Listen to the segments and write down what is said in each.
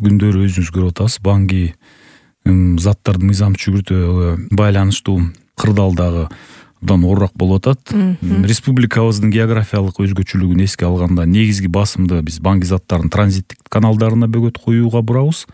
акыркы күндөрү өзүңүз көрүп атасыз, банги заттардын мыйзам чүгүртүүгө байланыштуу кырдаалдагы абдан оорураак болуп атат. Республикабыздын географиялык өзгөчөлүгүн эске алганда негизги басымды биз банги заттарын транзиттик каналдарына бөгөт коюуга бурабыз.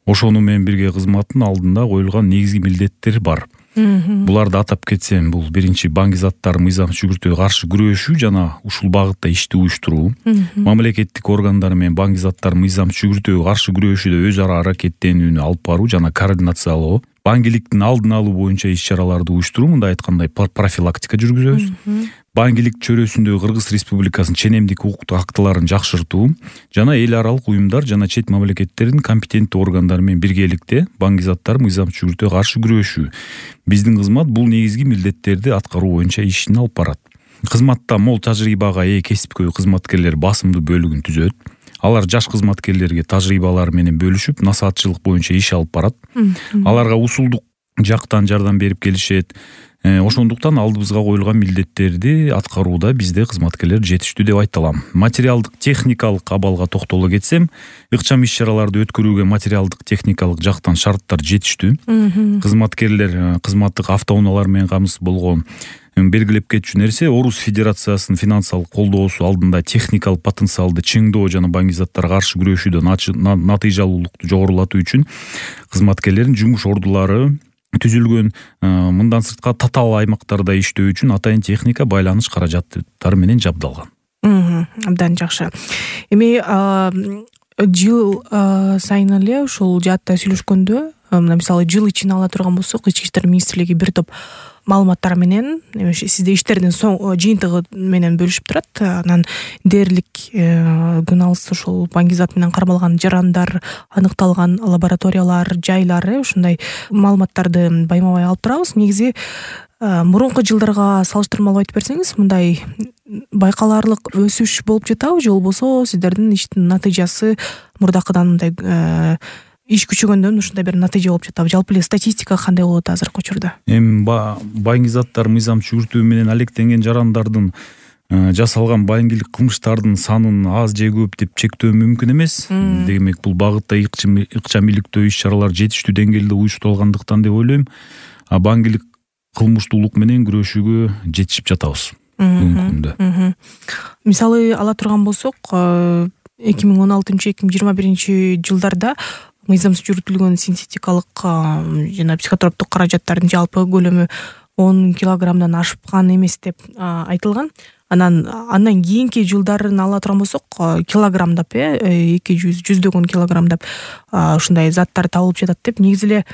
Ошону менен бирге кызматтын алдында коюлган негизги милдеттер бар. Буларды атап кетсем, бул биринчи банги заттарын мыйзам чүгүртүүгө каршы күрөшүү жана ушул багытта ишти уюштуруу. Мамлекеттик органдар менен банги заттарын мыйзам чүгүртүүгө каршы күрөшүүдө өз ара аракеттенүүнү алып баруу жана координациялоо. Бангиликтин алдын алуу боюнча иш-чараларды уюштуруу, мындай айтканда профилактика жүргүзөбүз. Бангилик чөйрөсүндөгү Кыргыз Республикасынын ченемдик укуктук актыларын жакшыртуу жана эл аралык уюмдар жана чет мамлекеттердин компетенттүү органдары менен биргеликте банги заттар мыйзам чүгүртүүгө каршы күрөшүү. Биздин кызмат бул негизги милдеттерди аткаруу боюнча ишин алып барат. Кызматта мол тажрыйбага ээ кесипкөй кызматкерлер басымдуу бөлүгүн түзөт. Алар жаш кызматкерлерге тажрыйбалары менен бөлүшүп, насаатчылык боюнча иш алып барат. Аларга усулдук жактан жардам берип келишет. Ошондуктан алдыбызга коюлган милдеттерди аткарууда бизде кызматкерлер жетиштүү деп айта алам. Материалдык техникалык абалга токтоло кетсем, ыкчам иш-чараларды өткөрүүгө материалдык техникалык жактан шарттар жетиштүү. Кызматкерлер кызматтык автоунаалар менен камсыз болгон белгилеп кетчү нерсе, Орус Федерациясынын финансылык колдоосу алдында техникалык потенциалды чыңдоо жана банги заттарга каршы күрөшүүдө натыйжалуулукту жогорулатуу үчүн кызматкерлердин жумуш ордулары түзүлгөн. Мындан сырткары татаал аймактарда иштөө үчүн атайын техника, байланыш каражаттары менен жабдалган. Абдан жакшы. Эми жыл сайын эле ушул жаатта сүйлөшкөндө, мисалы жыл ичине ала турган болсок, Ички иштер министрлиги бир топ маалыматтар менен сизде иштердин жыйынтыгы менен бөлүшүп турат. Анан дээрлик күн алыс ушул банги зат менен кармалган жарандар, аныкталган лабораториялар, жайлар, ушундай маалыматтарды байма-бай алып турабыз. Негизи мурунку жылдарга салыштырмалуу айтып берсеңиз, мындай байкалаарлык өсүш болуп жатабы же болбосо сиздердин иштин натыйжасы мурдакыдан мындай иш күчөгөндөн ушундай бир натыйжа болуп жатабы? Жалпы эле статистика кандай болот азыркы учурда? Эми банги заттар мыйзам чүгүртүү менен алектенген жарандардын жасалган баңгилик кылмыштардын санын аз же көп деп чектөө мүмкүн эмес. Демек, бул багытта ыкчам иликтөө иш-чаралар жетиштүү деңгээлде уюштурулгандыктан деп ойлойм. Баңгилик кылмыштуулук менен күрөшүүгө жетишип жатабыз бүгүнкү күндө. Мисалы ала турган болсок, 2016-2021 жылдарда мыйзамсыз жүргүзүлгөн синтетикалык жана психотроптук каражаттардын жалпы көлөмү 10 килограммдан ашкан эмес деп айтылган. Андан кийинки жылдарын ала турган болсок, килограммдап 200 килограммдап ушундай заттар табылып жатат деп. Негизи эле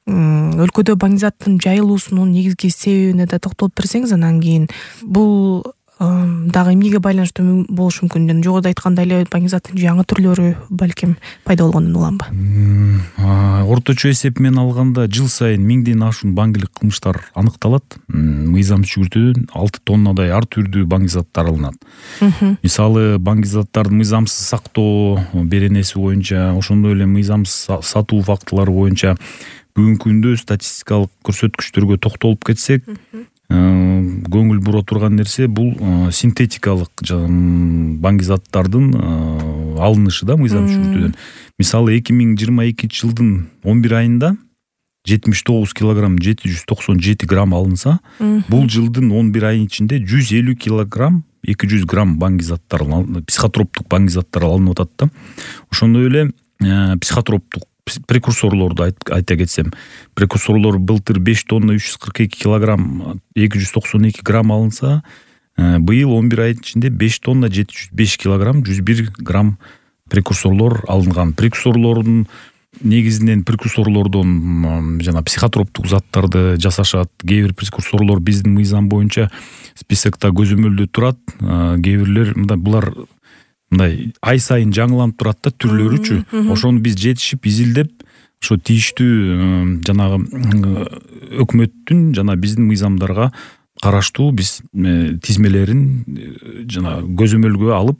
өлкөдө банги заттын жайылуусунун негизги себебине да токтолуп берсеңиз, анан кийин бул дагы эмнеге байланыштуу болушу мүмкүн? Жана жогоруда айткандай эле банги заттын жаңы түрлөрү балким пайда болгондон уламбы? Орточо эсеп менен алганда жыл сайын 1000ден ашуун баңгилик кылмыштар аныкталат. Мыйзам чүгүртүүдөн 6 тоннадай ар түрдүү банги заттар алынат. Мисалы, банги заттардын мыйзамсыз сактоо беренеси боюнча, ошондой эле мыйзамсыз сатуу фактылары боюнча бүгүнкү күндө статистикалык көрсөткүчтөргө токтолуп кетсек, көңүл бура турган нерсе бул синтетикалык банги заттардын алынышы да мыйзам чүгүртүүдөн. Мисалы, 2022 жылдын 11 айында 79 килограмм 797 грамм алынса, бул жылдын 11 айынын ичинде 150 килограмм 200 грамм банги заттар, психотроптук банги заттар алынып атат да. Ошондой эле психотроптук прекурсорлорду айта кетсем, прекурсорлор былтыр 5 тонна 342 килограмм 292 грамм алынса, быйыл 11 айдын ичинде 5 тонна 705 килограмм 101 грамм прекурсорлор алынган. Прекурсорлордун негизинен прекурсорлордон жана психотроптук заттарды жасашат. Кээ бир прекурсорлор биздин мыйзам боюнча списокто көзөмөлдө турат. Кээ бирлер булар мындай ай сайын жаңыланып турат да түрлөрүчү. Ошону биз жетишип изилдеп, ошо тийиштүү жанагы өкмөттүн жана биздин мыйзамдарга караштуу биз тизмелерин жана көзөмөлгө алып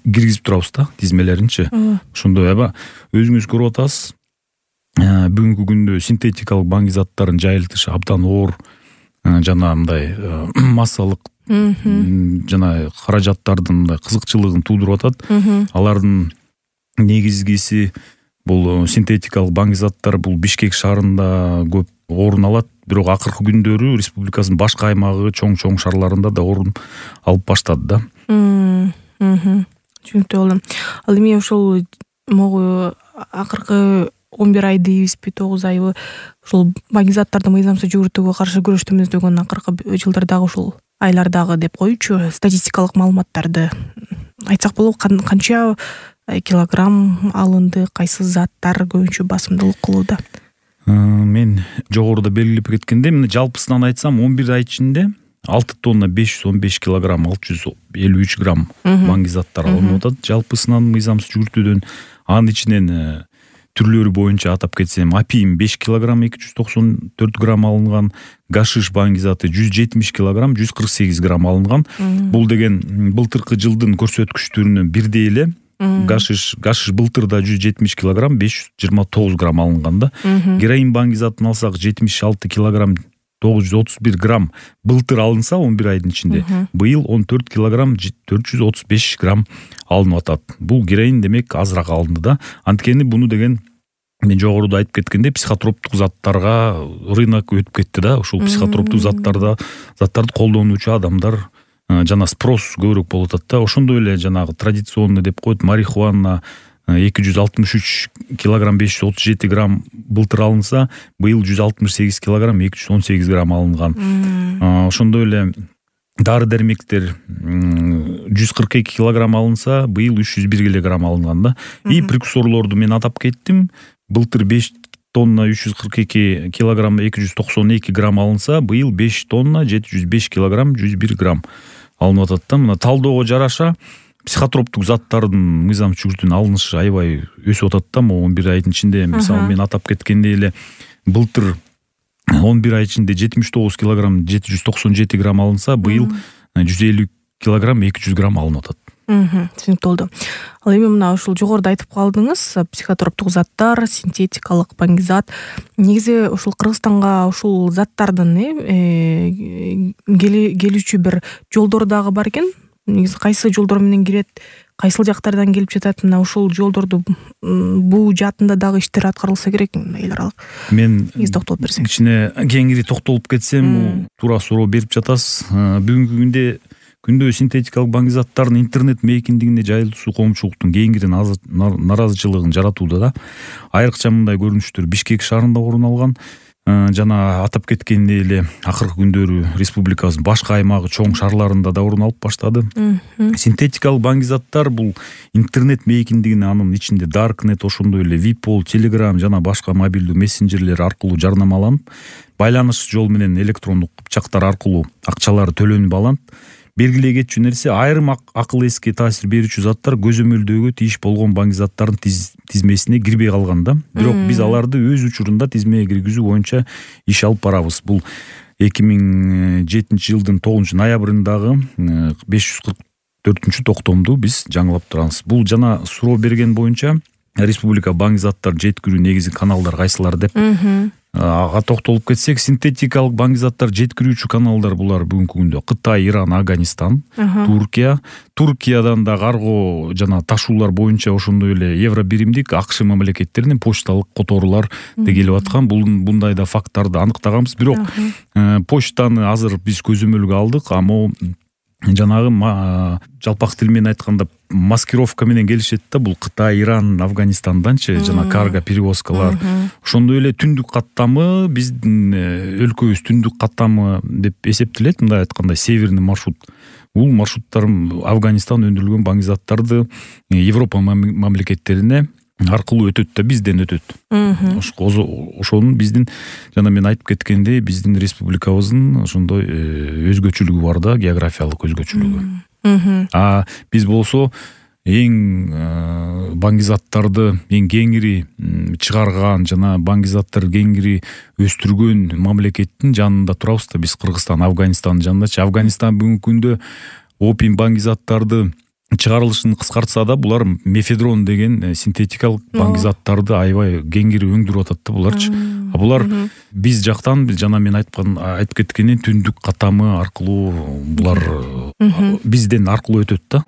киргизип турабыз да, тизмелеринчи. Ошондой өзүңүз көрүп атасыз, бүгүнкү күндө синтетикалык банги заттарын жайылтышы абдан оор жана мындай массалык жана каражаттардын кызыкчылыгын туудуруп атат. Алардын негизгиси бул синтетикалык баңгизаттар бул Бишкек шаарында көп орун алат, бирок акыркы күндөрү республикасынын башка аймагы чоң шаарларында да орун алып баштады да. Түшүнүктүү болду. Ал эми ошол могу акыркы 11 ай дейбизби, 9 айбы ушул баңгизаттарды мыйзамсыз жүгүртүүгө каршы күрөштүмүздөгөн акыркы жылдардагы ушул айлардагы деп коючу статистикалык маалыматтарды айтсак болобу, канча килограмм алынды, кайсы заттар көбүнчө басымдуулук кылууда? Мен жогоруда белгилеп кеткендей, мына жалпысынан айтсам 11 ай ичинде 6 тонна 515 килограмм 653 грамм баңгизаттар алынып атат. Жалпысынан мыйзамсыз жүгүртүүдөн анын ичинен түрлөрү боюнча атап кетсем, апиим 5 килограмм 294 грамм алынган, гашиш баңгизаты 170 килограмм 148 грамм алынган. Бул деген былтыркы жылдын көрсөткүчтөрүнөн бирдей эле. Гашиш былтырда 170 килограмм 529 грамм алынган да. Героин баңгизатын алсак 76 килограмм 931 грамм былтыр алынса 11 айдын ичинде, быйыл 14 килограмм 435 грамм алынып атат. Бул героин демек азыраак алынды да. Анткени буну деген мен жогоруда айтып кеткендей психотроптук заттарга рынок өтүп кетти да. Ушул психотроптук заттарды колдонуучу адамдар жана спрос көбүрөөк болуп атат да. Ошондой эле жанагы традиционный деп коет марихуана 263 килограмм 537 грамм былтыр алынса, быйыл 168 килограмм 218 грамм алынган. Ошондой эле дары дармектер 142 килограмм алынса, быйыл 301 килограмм алынган да. И прекурсорлорду мен атап кеттим. Былтыр 5 тонна 342 килограмм 292 грамм алынса, быйыл 5 тонна 705 килограмм 101 грамм алынып атат да. Мына талоого жараша психотроптук заттардын мыйзамсыз жүгүртүүнүн алынышы аябай өсүп атат да. 11 айдын ичинде мисалы мен атап кеткендей эле былтыр 11 ай ичинде 79 килограмм 797 грамм алынса, быйыл 150 килограмм 200 грамм алынып атат. Түшүнүктүү болду. Ал эми мына ушул жогоруда айтып калдыңыз, психотроптук заттар, синтетикалык баңгизат. Негизи ушул Кыргызстанга ушул заттардын келүүчү бир жолдору дагы бар экен. Негизи кайсы жолдор менен кирет, кайсыл жактардан келип жатат, мына ушул жолдорду буу жаатында дагы иштер аткарылса керек эл аралык. Мен токтолуп берсең. Кичине кеңири токтолуп кетсем, туура суроо берип жатасыз. Бүгүнкү күндө синтетикалык баңгизаттардын интернет мейкиндигине жайылуусу коомчулуктун кеңири наразычылыгын жаратууда да. Айрыкча мындай көрүнүштөр Бишкек шаарында орун алган. Жана атап кеткендей эле акыркы күндөрү республикабыздын башка аймагы чоң шаарларында да орун алып баштады. Синтетикалык баңгизаттар бул интернет мейкиндигине, анын ичинде Darknet, ошондой эле Vipol, Telegram жана башка мобилдүү мессенджерлер аркылуу жарнамаланып, байланыш жол менен электрондук кыпчактар аркылуу акчалары төлөнүп алынат. Белгилей кетчү нерсе, айрым акыл эске таасир берүүчү заттар көзөмөлдөөгө тийиш болгон баңгизаттардын тизмесине кирбей калган да. Бирок биз аларды өз учурунда тизмеге киргизүү боюнча иш алып барабыз. Бул 2007 жылдын 9 ноябрындагы 544 токтомду биз жаңылап турабыз. Бул жана суроо берген боюнча республика баңгизаттар жеткирүү негизи каналдар кайсылар деп ага токтолуп кетсек, синтетикалык баңгизаттар жеткирүүчү каналдар булар бүгүнкү күндө Кытай, Иран, Афганистан, Туркия. Туркиядан да карго жана ташуулар боюнча ошондой эле евро биримдик АКШ мамлекеттеринен почталык которуулар келип аткан. Bunдай да факттарды аныктаганбыз. Бирок почтаны азыр биз көзөмөлгө алдык, ама жанагы жалпак тил менен айтканда маскировка менен келишет да. Бул Кытай, Иран, Афганистанданчы жана карго перевозкалар. Ошондой эле түндүк каттамы биздин өлкөбүз түндүк каттамы деп эсептелет. Мындай айтканда северный маршрут. Бул маршруттар Афганистан өндүрүлгөн баңгизаттарды Европа мамлекеттерине аркылуу өтөт да, бизден өтөт. Ошонун биздин жана мен айтып кеткендей, биздин республикабыздын ошондой өзгөчөлүгү бар да, географиялык өзгөчөлүгү. Биз болсо эң баңгизаттарды эң кеңири чыгарган жана баңгизаттарды кеңири өстүргөн мамлекеттин жанында турабыз да. Биз Кыргызстан, Афганистандын жанындачы. Афганистан бүгүнкү күндө опиум баңгизаттарды чыгарылышын кыскартса да, булар мефедрон деген синтетикалык баңгизаттарды аябай кеңири өндүрүп атат да буларчы. Булар биз жактан жана мен айтып кеткендей түндүк каттамы аркылуу булар бизден аркылуу өтөт да.